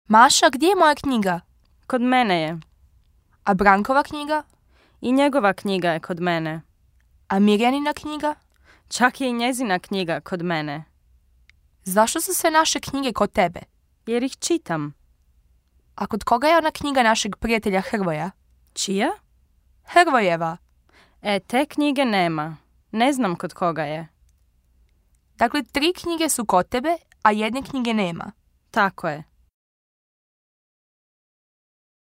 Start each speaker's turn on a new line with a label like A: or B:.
A: Maša, gdje je moja knjiga?
B: Kod mene je.
A: A Brankova knjiga?
B: I njegova knjiga je kod mene.
A: A Mirjanina knjiga?
B: Čak je i njezina knjiga kod mene.
A: Zašto su sve naše knjige kod tebe?
B: Jer ih čitam.
A: A kod koga je ona knjiga našeg prijatelja Hrvoja?
B: Čija?
A: Hrvojeva.
B: Te knjige nema. Ne znam kod koga je.
A: Dakle, 3 knjige su kod tebe, a jedne knjige nema.
B: Tako je.